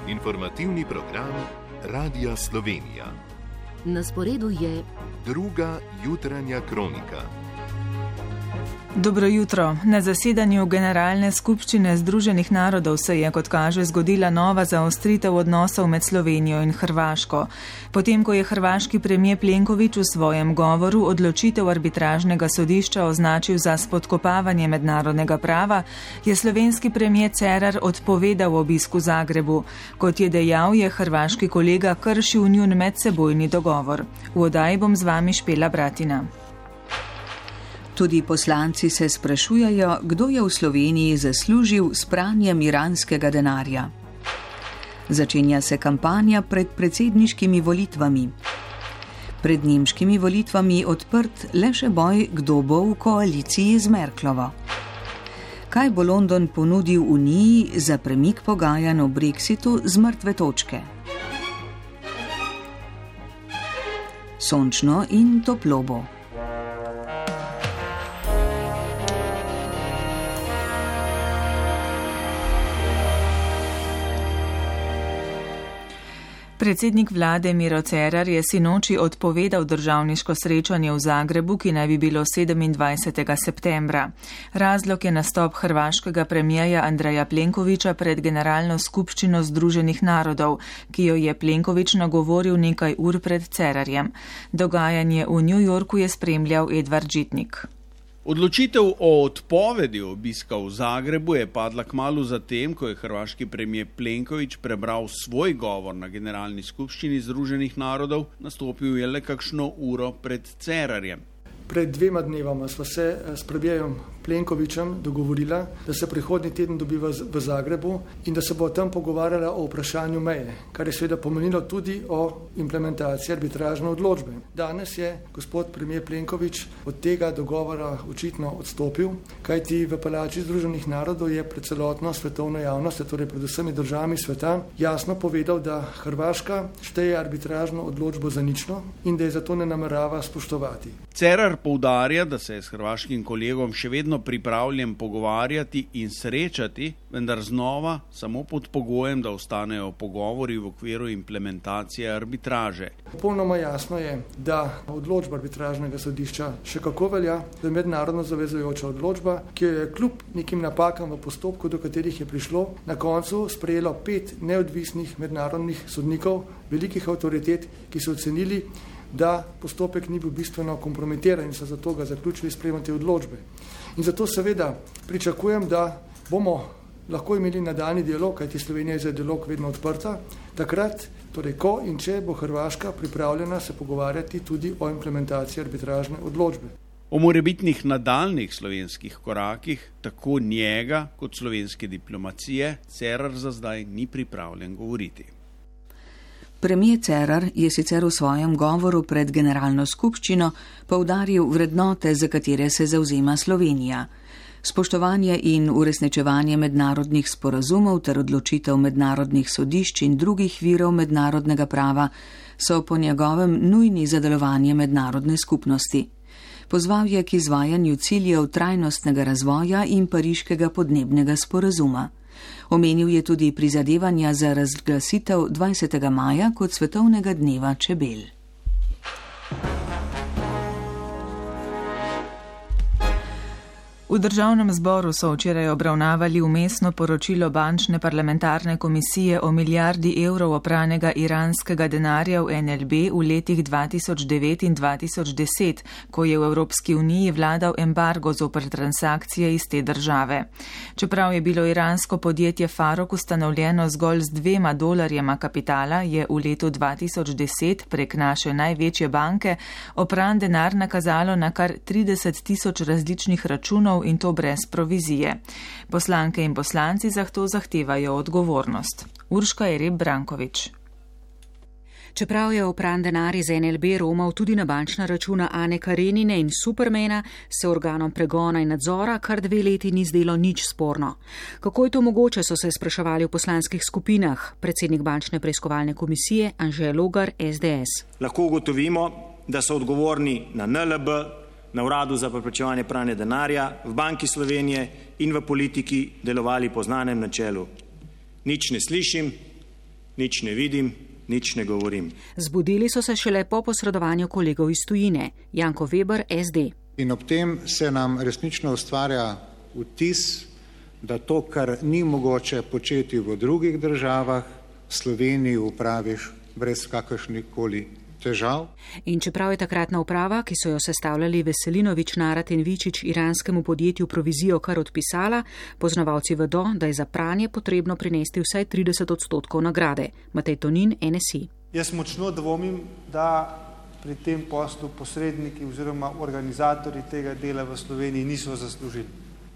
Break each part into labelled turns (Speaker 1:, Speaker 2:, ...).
Speaker 1: Informativni program Radia Slovenija.
Speaker 2: Na sporedu je
Speaker 1: druga jutranja kronika.
Speaker 3: Dobro jutro. Na zasedanju Generalne skupščine Združenih narodov se je, kot kaže, zgodila nova zaostritev odnosov med Slovenijo in Hrvaško. Potem, ko je hrvaški premijer Plenković v svojem govoru odločitev arbitražnega sodišča označil za spodkopavanje mednarodnega prava, je slovenski premijer Cerar odpovedal obisk v Zagrebu. Kot je dejal, je hrvaški kolega kršil njun medsebojni dogovor. V oddaji bom z vami Špela Bratina.
Speaker 4: Tudi poslanci se sprašujejo, kdo je v Sloveniji zaslužil s pranjem iranskega denarja. Začenja se kampanja pred predsedniškimi volitvami. Pred nemškimi volitvami odprt le še boj, kdo bo v koaliciji z Merklovo. Kaj bo London ponudil Uniji za premik pogajanj o Brexitu z mrtve točke? Sončno in toplo bo.
Speaker 3: Predsednik vlade Miro Cerar je sinoči odpovedal državniško srečanje v Zagrebu, ki naj bi bilo 27. septembra. Razlog je nastop hrvaškega premijerja Andreja Plenkovića pred Generalno skupščino Združenih narodov, ki jo je Plenković nagovoril nekaj ur pred Cerarjem. Dogajanje v New Yorku je spremljal Edvard Žitnik.
Speaker 5: Odločitev o odpovedi obiska v Zagrebu je padla kmalu zatem, ko je hrvaški premijer Plenković prebral svoj govor na Generalni skupščini Združenih narodov, nastopil je le kakšno uro pred Cerarjem.
Speaker 6: Pred 2 dnevama sva se s premijerjem Plenkovićem dogovorila, da se prihodnji teden dobiva v Zagrebu in da se bo tam pogovarjala o vprašanju meje, kar je seveda pomenilo tudi o implementaciji arbitražne odločbe. Danes je gospod premijer Plenković od tega dogovora očitno odstopil, kajti v Palači Združenih narodov je pred celotno svetovno javnost, torej pred vsemi državami sveta, jasno povedal, da Hrvaška šteje arbitražno odločbo za nično in da je zato ne namerava spoštovati.
Speaker 5: Cerar poudarja, da se je s hrvaškim kolegom še vedno pripravljen pogovarjati in srečati, vendar znova samo pod pogojem, da ostanejo pogovori v okviru implementacije arbitraže.
Speaker 6: Popolnoma jasno je, da odločba arbitražnega sodišča še kako velja, da je mednarodno zavezujoča odločba, ki je kljub nekim napakam v postopku, do katerih je prišlo, na koncu sprejelo 5 neodvisnih mednarodnih sodnikov, velikih avtoritet, ki so ocenili, da postopek ni bil bistveno kompromitiran in so zato ga zaključili sprejemati odločbe. In zato seveda pričakujem, da bomo lahko imeli nadaljnji dialog, kajti Slovenija je za dialog vedno odprta, takrat, torej ko in če bo Hrvaška pripravljena se pogovarjati tudi o implementaciji arbitražne odločbe.
Speaker 5: O morebitnih nadaljnih slovenskih korakih, tako njega kot slovenske diplomacije, Cerar za zdaj ni pripravljen govoriti.
Speaker 4: Premijer Cerar je sicer v svojem govoru pred Generalno skupščino poudaril vrednote, za katere se zavzema Slovenija. Spoštovanje in uresničevanje mednarodnih sporazumov ter odločitev mednarodnih sodišč in drugih virov mednarodnega prava so po njegovem nujni za delovanje mednarodne skupnosti. Pozval je k izvajanju ciljev trajnostnega razvoja in pariškega podnebnega sporazuma. Omenil je tudi prizadevanja za razglasitev 20. maja kot svetovnega dneva čebel.
Speaker 3: V državnem zboru so včeraj obravnavali vmesno poročilo bančne parlamentarne komisije o milijardi evrov opranega iranskega denarja v NLB v letih 2009 in 2010, ko je v Evropski uniji vladal embargo zoper transakcije iz te države. Čeprav je bilo iransko podjetje Farok ustanovljeno zgolj z $2 kapitala, je v letu 2010 prek naše največje banke opran denar nakazalo na kar 30.000 različnih računov in to brez provizije. Poslanke in poslanci zato zahtevajo odgovornost. Urška Jereb Brankovič.
Speaker 7: Čeprav je opran denar iz NLB romal tudi na bančna računa Ane Karenine in Supermana, se organom pregona in nadzora kar 2 leti ni zdelo nič sporno. Kako je to mogoče, so se spraševali v poslanskih skupinah. Predsednik bančne preiskovalne komisije Anže Logar, SDS.
Speaker 8: Lahko ugotovimo, da so odgovorni na NLB, na Uradu za preprečevanje pranja denarja, v Banki Slovenije in v politiki delovali po znanem načelu. Nič ne slišim, nič ne vidim, nič ne govorim.
Speaker 7: Zbudili so se šele po posredovanju kolegov iz tujine. Janko Weber, SD.
Speaker 9: In ob tem se nam resnično ustvarja vtis, da to, kar ni mogoče početi v drugih državah, Sloveniji upraviš brez kakršnikoli težav.
Speaker 7: In čeprav je takratna uprava, ki so jo sestavljali Veselinović, Narat in Vičič, iranskemu podjetju provizijo kar odpisala, poznavalci vedo, da je za pranje potrebno prinesti vsaj 30% nagrade. Matej Tonin, NSI.
Speaker 10: Jaz močno dvomim, da pri tem poslu posredniki oziroma organizatorji tega dela v Sloveniji niso zaslužili.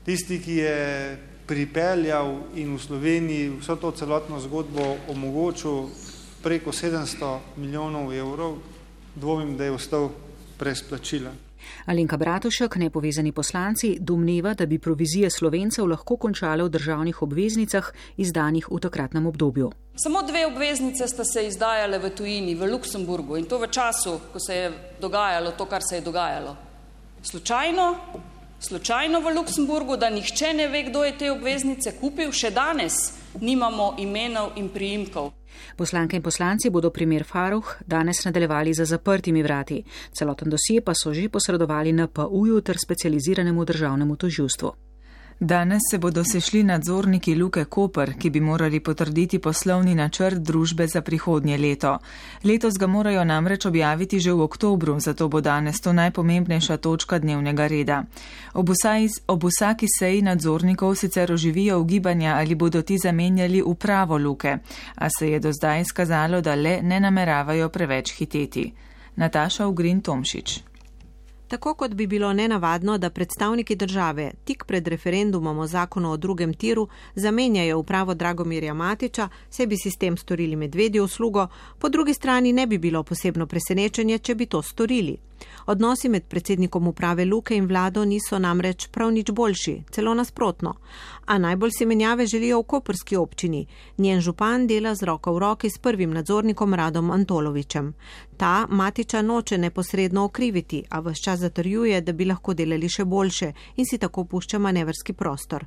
Speaker 10: Tisti, ki je pripeljal in v Sloveniji vso to celotno zgodbo omogočil preko 700 milijonov evrov, dvomim, da je ostal brez plačila.
Speaker 7: Alenka Bratušek, nepovezani poslanci, domneva, da bi provizije Slovencev lahko končale v državnih obveznicah, izdanih v takratnem obdobju.
Speaker 11: Samo 2 obveznice sta se izdajale v tujini, v Luksemburgu, in to v času, ko se je dogajalo to, kar se je dogajalo. Slučajno v Luksemburgu, da nihče ne ve, kdo je te obveznice kupil, še danes nimamo imenov in priimkov.
Speaker 7: Poslanke in poslanci bodo primer Farrokh danes nadaljevali za zaprtimi vrati. Celoten dosje pa so že posredovali NPU-ju ter specializiranemu državnemu tožilstvu.
Speaker 3: Danes se bodo sešli nadzorniki Luke Koper, ki bi morali potrditi poslovni načrt družbe za prihodnje leto. Letos ga morajo namreč objaviti že v oktobru, zato bo danes to najpomembnejša točka dnevnega reda. Ob vsaki seji nadzornikov sicer oživijo ugibanja, ali bodo ti zamenjali upravo Luke, a se je do zdaj izkazalo, da le ne nameravajo preveč hiteti. Nataša Ugrin-Tomšič.
Speaker 12: Tako kot bi bilo nenavadno, da predstavniki države tik pred referendumom o zakonu o drugem tiru zamenjajo upravo Dragomirja Matića, se bi si s tem storili medvedjo uslugo, po drugi strani ne bi bilo posebno presenečenje, če bi to storili. Odnosi med predsednikom uprave Luke in vlado niso namreč prav nič boljši, celo nasprotno. A najbolj si menjave želijo v koprski občini. Njen župan dela z roko v roki s prvim nadzornikom Radom Antolovićem. Ta Matića noče neposredno okriviti, a ves čas zatrjuje, da bi lahko delali še boljše in si tako pušča manevrski prostor.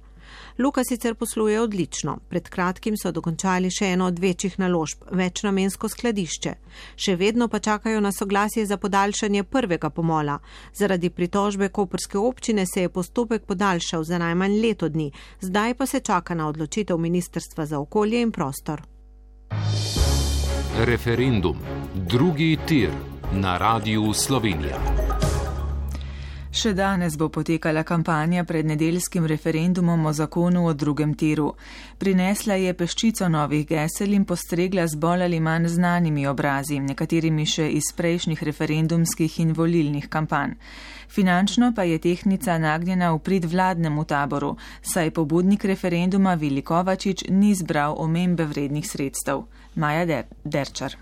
Speaker 12: Luka sicer posluje odlično. Pred kratkim so dokončali še eno od večjih naložb, večnamensko skladišče. Še vedno pa čakajo na soglasje za podaljšanje prvega pomola. Zaradi pritožbe koprske občine se je postopek podaljšal za najmanj leto dni, zdaj pa se čaka na odločitev Ministrstva za okolje in prostor.
Speaker 1: Referendum. Drugi tir na Radiu Slovenija.
Speaker 3: Še danes bo potekala kampanja pred nedeljskim referendumom o zakonu o drugem tiru. Prinesla je peščico novih gesel in postregla z bolj ali manj znanimi obrazi, nekaterimi še iz prejšnjih referendumskih in volilnih kampanj. Finančno pa je tehtnica nagnjena v prid vladnemu taboru, saj pobudnik referenduma Vili Kovačič ni zbral omembe vrednih sredstev. Maja Derčar.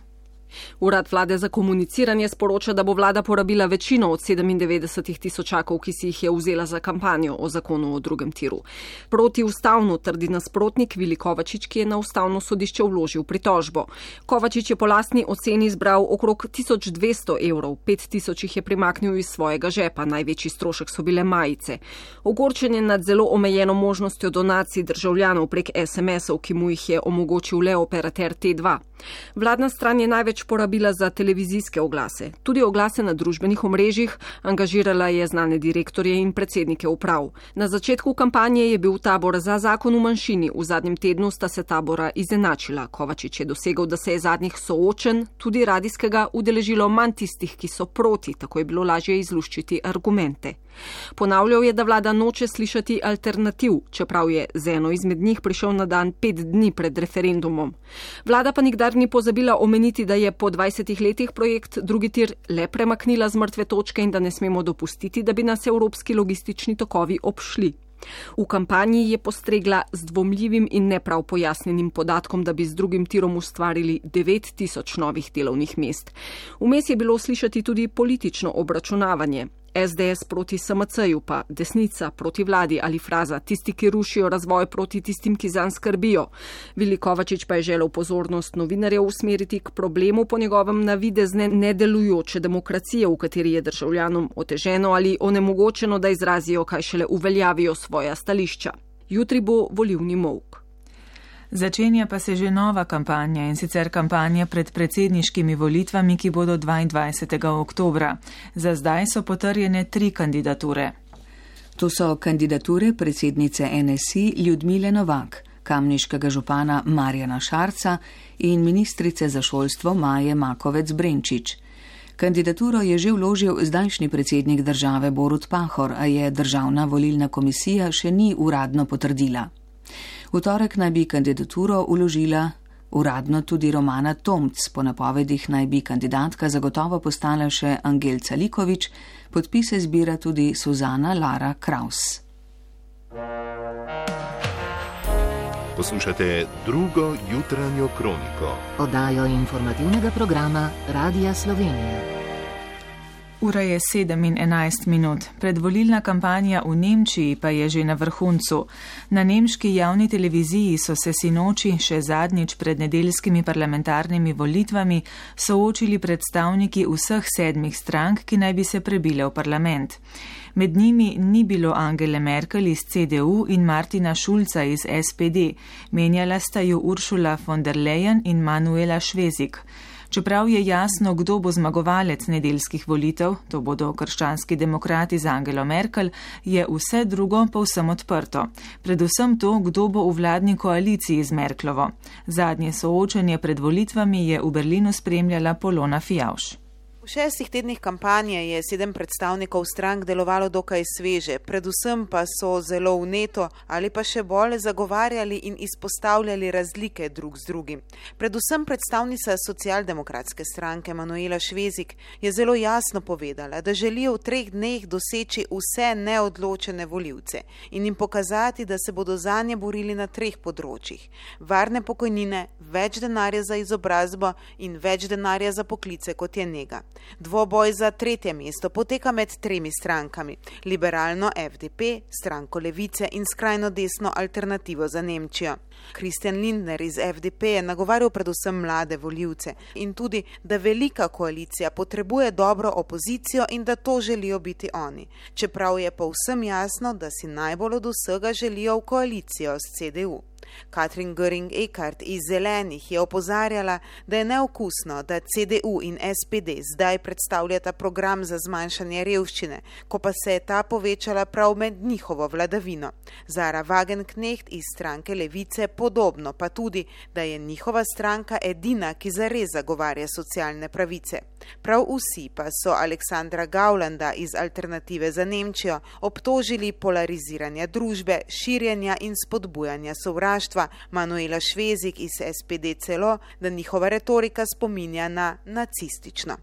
Speaker 13: Urad vlade za komuniciranje sporoča, da bo vlada porabila večino od 97 tisočakov, ki si jih je vzela za kampanjo o zakonu o drugem tiru. Protiustavno trdi nasprotnik Vili Kovačič, ki je na ustavno sodišče vložil pritožbo. Kovačič je po lastni oceni zbral okrog 1200 evrov, 5000 jih je primaknil iz svojega žepa, največji strošek so bile majice. Ogorčen je nad zelo omejeno možnostjo donacij državljanov prek SMS-ov, ki mu jih je omogočil le operater T2. Vladna stran je največ porabila za televizijske oglase. Tudi oglase na družbenih omrežjih, angažirala je znane direktorje in predsednike uprav. Na začetku kampanje je bil tabor za zakon v manjšini, v zadnjem tednu sta se tabora izenačila. Kovačič je dosegel, da se je zadnjih soočen, tudi radijskega, udeležilo manj tistih, ki so proti, tako je bilo lažje izluščiti argumente. Ponavljal je, da vlada noče slišati alternativ, čeprav je z eno izmed njih prišel na dan 5 dni pred referendumom. Vlada pa nikdar ni pozabila omeniti, da je po 20 letih projekt drugi tir le premaknila z mrtve točke in da ne smemo dopustiti, da bi nas evropski logistični tokovi obšli. V kampanji je postregla z dvomljivim in neprav pojasnjenim podatkom, da bi z drugim tirom ustvarili 9000 novih delovnih mest. Vmes je bilo slišati tudi politično obračunavanje. SDS proti SMC-ju pa desnica proti vladi ali fraza tisti, ki rušijo razvoj proti tistim, ki zanj skrbijo. Vili Kovačič pa je želel pozornost novinarjev usmeriti k problemu po njegovem navidezne nedelujoče demokracije, v kateri je državljanom oteženo ali onemogočeno, da izrazijo, kaj šele uveljavijo svoja stališča. Jutri bo volilni molk.
Speaker 3: Začenja pa se že nova kampanja, in sicer kampanja pred predsedniškimi volitvami, ki bodo 22. oktobra. Za zdaj so potrjene 3 kandidature.
Speaker 4: To so kandidature predsednice NSI Ljudmile Novak, kamniškega župana Marjana Šarca in ministrice za šolstvo Maje Makovec Brenčič. Kandidaturo je že vložil zdajšnji predsednik države Borut Pahor, a je Državna volilna komisija še ni uradno potrdila. V torek naj bi kandidaturo vložila uradno tudi Romana Tomc, po napovedih naj bi kandidatka zagotovo postala še Angelca Likovič, podpise zbira tudi Suzana Lara Kraus.
Speaker 14: Poslušate drugo jutranjo kroniko.
Speaker 2: Oddajo informativnega programa Radia Slovenija.
Speaker 3: Ura je 7:11. Predvolilna kampanja v Nemčiji pa je že na vrhuncu. Na nemški javni televiziji so se sinoči še zadnjič pred nedeljskimi parlamentarnimi volitvami soočili predstavniki vseh 7 strank, ki naj bi se prebile v parlament. Med njimi ni bilo Angele Merkel iz CDU in Martina Schulza iz SPD, menjala sta ju Ursula von der Leyen in Manuela Schwesig. Čeprav je jasno, kdo bo zmagovalec nedeljskih volitev, to bodo krščanski demokrati z Angelo Merkel, je vse drugo povsem odprto. Predvsem to, kdo bo v vladni koaliciji z Merklovo. Zadnje soočenje pred volitvami je v Berlinu spremljala Polona Fijavš.
Speaker 15: V 6 tednih kampanje je 7 predstavnikov strank delovalo dokaj sveže, predvsem pa so zelo vneto ali pa še bolj zagovarjali in izpostavljali razlike drug z drugim. Predvsem predstavnica socialdemokratske stranke Manuela Schwesig je zelo jasno povedala, da želijo v 3 dneh doseči vse neodločene volivce in jim pokazati, da se bodo zanje borili na 3 področjih: varne pokojnine, več denarja za izobrazbo in več denarja za poklice, kot je nega. Dvoboj za 3. mesto poteka med 3 strankami: liberalno FDP, stranko Levice in skrajno desno Alternativo za Nemčijo. Christian Lindner iz FDP je nagovarjal predvsem mlade volivce in tudi, da velika koalicija potrebuje dobro opozicijo in da to želijo biti oni, čeprav je povsem jasno, da si najbolj od vsega želijo v koalicijo s CDU. Katrin Göring-Eckardt iz Zelenih je opozarjala, da je neokusno, da CDU in SPD zdaj predstavljata program za zmanjšanje revščine, ko pa se je ta povečala prav med njihovo vladavino. Zara Wagenknecht iz stranke Levice podobno, pa tudi, da je njihova stranka edina, ki zares zagovarja socialne pravice. Prav vsi pa so Aleksandra Gaulanda iz Alternative za Nemčijo obtožili polariziranja družbe, širjenja in spodbujanja sovraštva, Manuela Schwesig iz SPD celo, da njihova retorika spominja na nacistično.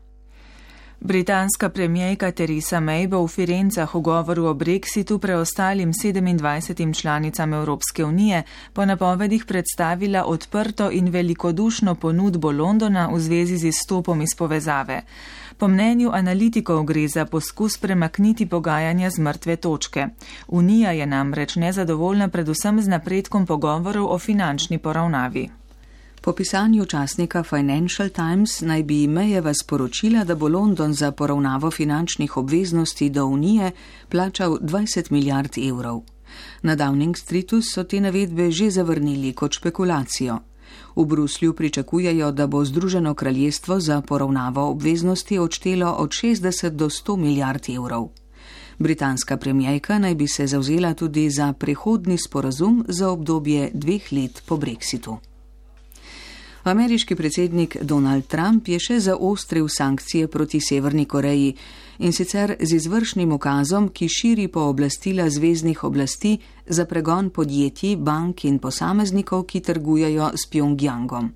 Speaker 3: Britanska premijejka Theresa May bo v Firencah v govoru o Brexitu preostalim 27 članicam Evropske unije po napovedih predstavila odprto in velikodušno ponudbo Londona v zvezi z izstopom iz povezave. Po mnenju analitikov gre za poskus premakniti pogajanja z mrtve točke. Unija je namreč nezadovoljna predvsem z napredkom pogovorov o finančni poravnavi.
Speaker 4: Po pisanju časnika Financial Times naj bi Mayjeva sporočila, da bo London za poravnavo finančnih obveznosti do Unije plačal 20 milijard evrov. Na Downing Streetu so te navedbe že zavrnili kot špekulacijo. V Bruslju pričakujejo, da bo Združeno kraljestvo za poravnavo obveznosti odštelo od 60 do 100 milijard evrov. Britanska premijejka naj bi se zavzela tudi za prehodni sporazum za obdobje 2 let po Brexitu. Ameriški predsednik Donald Trump je še zaostril sankcije proti Severni Koreji, in sicer z izvršnim ukazom, ki širi pooblastila zveznih oblasti za pregon podjetij, bank in posameznikov, ki trgujejo s Pjongjangom.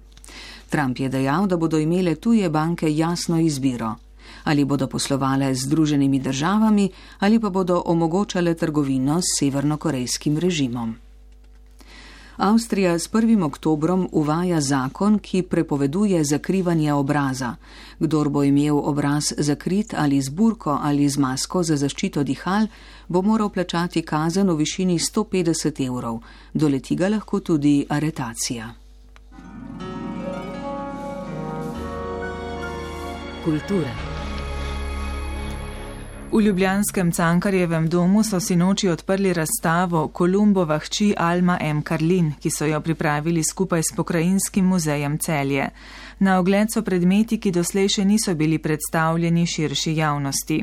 Speaker 4: Trump je dejal, da bodo imele tuje banke jasno izbiro: ali bodo poslovale z Združenimi državami ali pa bodo omogočale trgovino s severnokorejskim režimom. Avstrija s 1. oktobrom uvaja zakon, ki prepoveduje zakrivanje obraza. Kdor bo imel obraz zakrit ali z burko ali z masko za zaščito dihal, bo moral plačati kazen v višini 150 evrov. Doleti ga lahko tudi aretacija.
Speaker 2: Kultura.
Speaker 3: V ljubljanskem Cankarjevem domu so sinoči odprli razstavo Kolumbova hči Alma M. Karlin, ki so jo pripravili skupaj s Pokrajinskim muzejem Celje. Na ogled so predmeti, ki doslej še niso bili predstavljeni širši javnosti.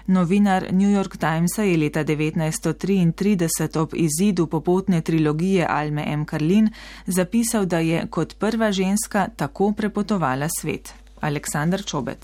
Speaker 3: Novinar New York Timesa je leta 1933 ob izidu popotne trilogije Alme M. Karlin zapisal, da je kot prva ženska tako prepotovala svet. Aleksandar Čobec.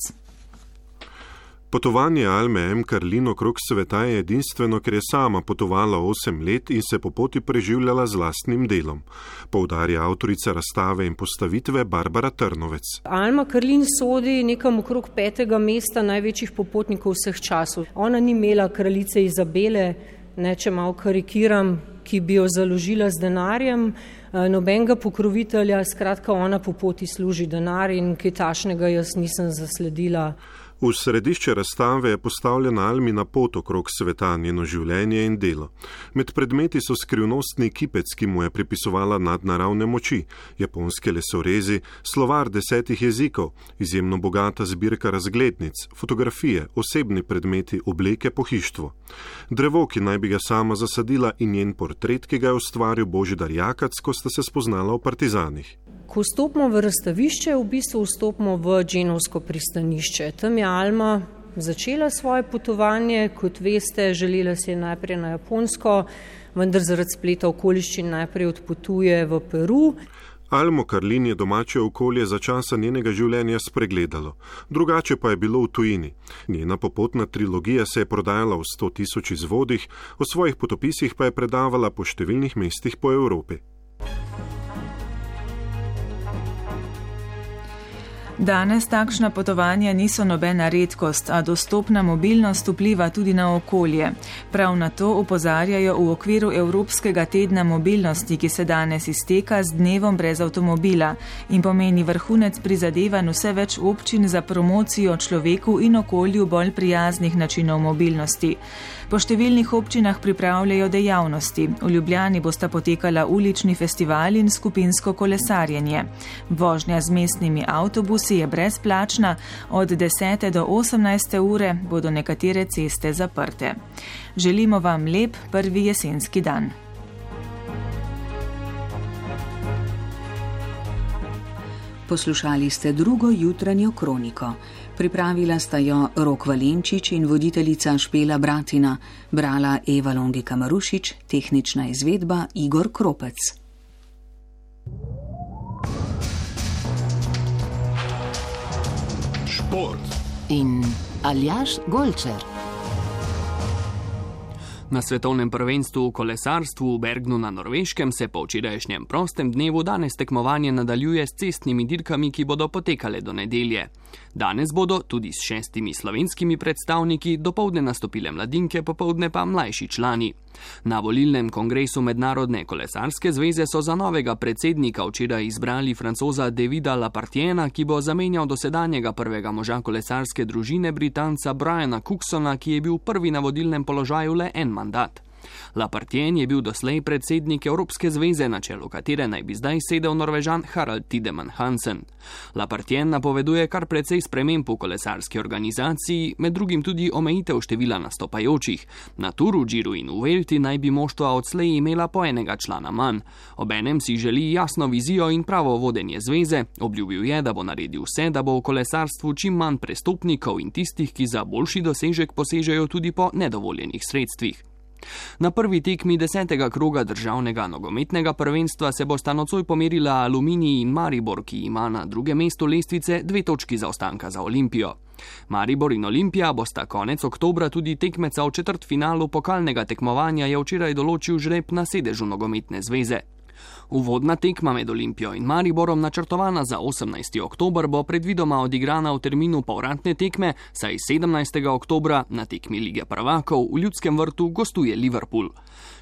Speaker 16: Potovanje Alme M. Karlin okrog sveta je edinstveno, ker je sama potovala 8 let in se po poti preživljala z lastnim delom, poudarja avtorica razstave in postavitve Barbara Trnovec.
Speaker 17: Alma Karlin sodi nekam okrog 5. mesta največjih popotnikov vseh časov. Ona ni imela kraljice Izabele, če malo karikiram, ki bi jo založila z denarjem, nobenega pokrovitelja, skratka ona po poti služi denar in kaj takšnega jaz nisem zasledila.
Speaker 16: V središče razstave je postavljena Almina pot okrog sveta, njeno življenje in delo. Med predmeti so skrivnostni kipec, ki mu je pripisovala nadnaravne moči, japonske lesorezi, slovar 10 jezikov, izjemno bogata zbirka razglednic, fotografije, osebni predmeti, obleke, pohištvo. Drevo, ki naj bi ga sama zasadila, in njen portret, ki ga je ustvaril Božidar Jakac, ko sta se spoznala v Partizanih.
Speaker 17: Ko vstopimo v razstavišče, v bistvu vstopimo v Dženovsko pristanišče. Tam je Alma začela svoje potovanje, kot veste, želela si je najprej na Japonsko, vendar zaradi spleta okoliščin najprej odpotuje v Peru.
Speaker 16: Almo Karlin je domače okolje za časa njenega življenja spregledalo, drugače pa je bilo v tujini. Njena popotna trilogija se je prodajala v 100.000 izvodih, o svojih potopisih pa je predavala po številnih mestih po Evropi.
Speaker 3: Danes takšna potovanja niso nobena redkost, a dostopna mobilnost vpliva tudi na okolje. Prav na to opozarjajo v okviru Evropskega tedna mobilnosti, ki se danes izteka z dnevom brez avtomobila in pomeni vrhunec prizadevanj vse več občin za promocijo človeku in okolju bolj prijaznih načinov mobilnosti. Po številnih občinah pripravljajo dejavnosti. V Ljubljani bosta potekala ulični festival in skupinsko kolesarjenje. Vožnja z mestnimi avtobusi je brezplačna, od 10. do 18. ure bodo nekatere ceste zaprte. Želimo vam lep prvi jesenski dan.
Speaker 4: Poslušali ste drugo jutranjo kroniko. Pripravila sta jo Rok Valenčič in voditeljica Špela Bratina, brala Eva Longika Marušič, tehnična izvedba Igor Kropec.
Speaker 1: Šport
Speaker 2: in Aljaž Golčer.
Speaker 18: Na svetovnem prvenstvu v kolesarstvu v Bergnu na Norveškem se po včerajšnjem prostem dnevu danes tekmovanje nadaljuje s cestnimi dirkami, ki bodo potekale do nedelje. Danes bodo tudi s 6 slovenskimi predstavniki dopoldne nastopile mladinke, popoldne pa mlajši člani. Na volilnem kongresu Mednarodne kolesarske zveze so za novega predsednika včeraj izbrali Francoza Davida Lapartiena, ki bo zamenjal dosedanjega prvega moža kolesarske družine Britanca Briana Cooksona, ki je bil prvi na vodilnem položaju le en mandat. Lapartien je bil doslej predsednik Evropske zveze, na čelu katere naj bi zdaj sedel Norvežan Harald Tiedemann Hansen. Lapartien napoveduje kar precej sprememb v kolesarski organizaciji, med drugim tudi omejitev števila nastopajočih. Na Turu, Giru in Vuelti naj bi moštva odslej imela po enega člana manj. Obenem si želi jasno vizijo in pravo vodenje zveze. Obljubil je, da bo naredil vse, da bo v kolesarstvu čim manj prestopnikov in tistih, ki za boljši dosežek posežejo tudi po nedovoljenih sredstvih. Na prvi tekmi 10. kroga državnega nogometnega prvenstva se bosta nocoj pomerila Aluminij in Maribor, ki ima na drugem mestu lestvice 2 točki zaostanka za Olimpijo. Maribor in Olimpija bosta konec oktobra tudi tekmeca v četrtfinalu pokalnega tekmovanja, je včeraj določil žreb na sedežu nogometne zveze. Uvodna tekma med Olimpijo in Mariborom, načrtovana za 18. oktober, bo predvidoma odigrana v terminu povratne tekme, saj 17. oktobra na tekmi Lige prvakov v Ljudskem vrtu gostuje Liverpool.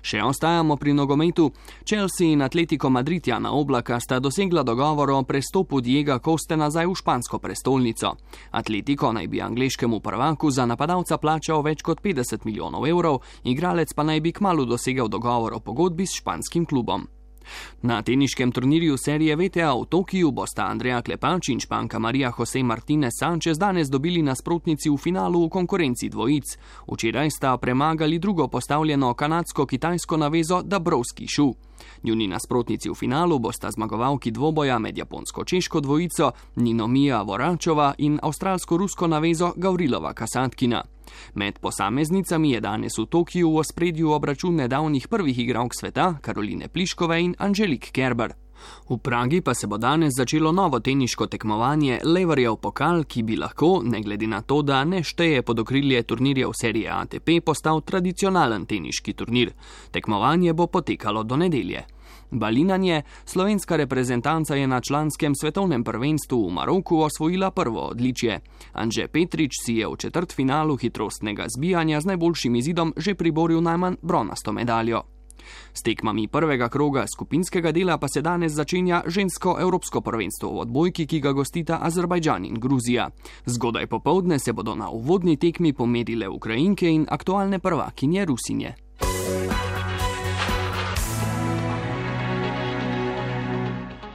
Speaker 18: Še ostajamo pri nogometu. Chelsea in Atletico Madrid Jana Oblaka sta dosegla dogovor o prestopu Diega Coste nazaj v špansko prestolnico. Atletico naj bi angleškemu prvaku za napadalca plačal več kot 50 milijonov evrov, igralec pa naj bi kmalu dosegel dogovor o pogodbi s španskim klubom. Na teniškem turnirju serije VTA v Tokiju bosta Andreja Klepač in španka Maria Jose Martinez Sanchez danes dobili nasprotnici v finalu v konkurenci dvojic. Včeraj sta premagali drugo postavljeno kanadsko-kitajsko navezo Dabrowski Shu. Njuni nasprotnici v finalu bosta zmagovalki dvoboja med japonsko-češko dvojico Ninomiya Voračova in avstralsko-rusko navezo Gavrilova Kasatkina. Med posameznicami je danes v Tokiju v ospredju obračun nedavnih prvih igralk sveta Karoline Pliškove in Angelique Kerber. V Pragi pa se bo danes začelo novo teniško tekmovanje Leverjev pokal, ki bi lahko, ne glede na to, da ne šteje pod okrilje turnirjev serije ATP, postal tradicionalen teniški turnir. Tekmovanje bo potekalo do nedelje. Balinanje, slovenska reprezentanca je na članskem svetovnem prvenstvu v Maroku osvojila prvo odličje. Anže Petrič si je v četrtfinalu hitrostnega zbijanja z najboljšim izidom že priboril najmanj bronasto medaljo. S tekmami prvega kroga skupinskega dela pa se danes začenja žensko evropsko prvenstvo v odbojki, ki ga gostita Azerbajdžan in Gruzija. Zgodaj popoldne se bodo na uvodni tekmi pomerile Ukrajinke in aktualne prvakinje Rusinje.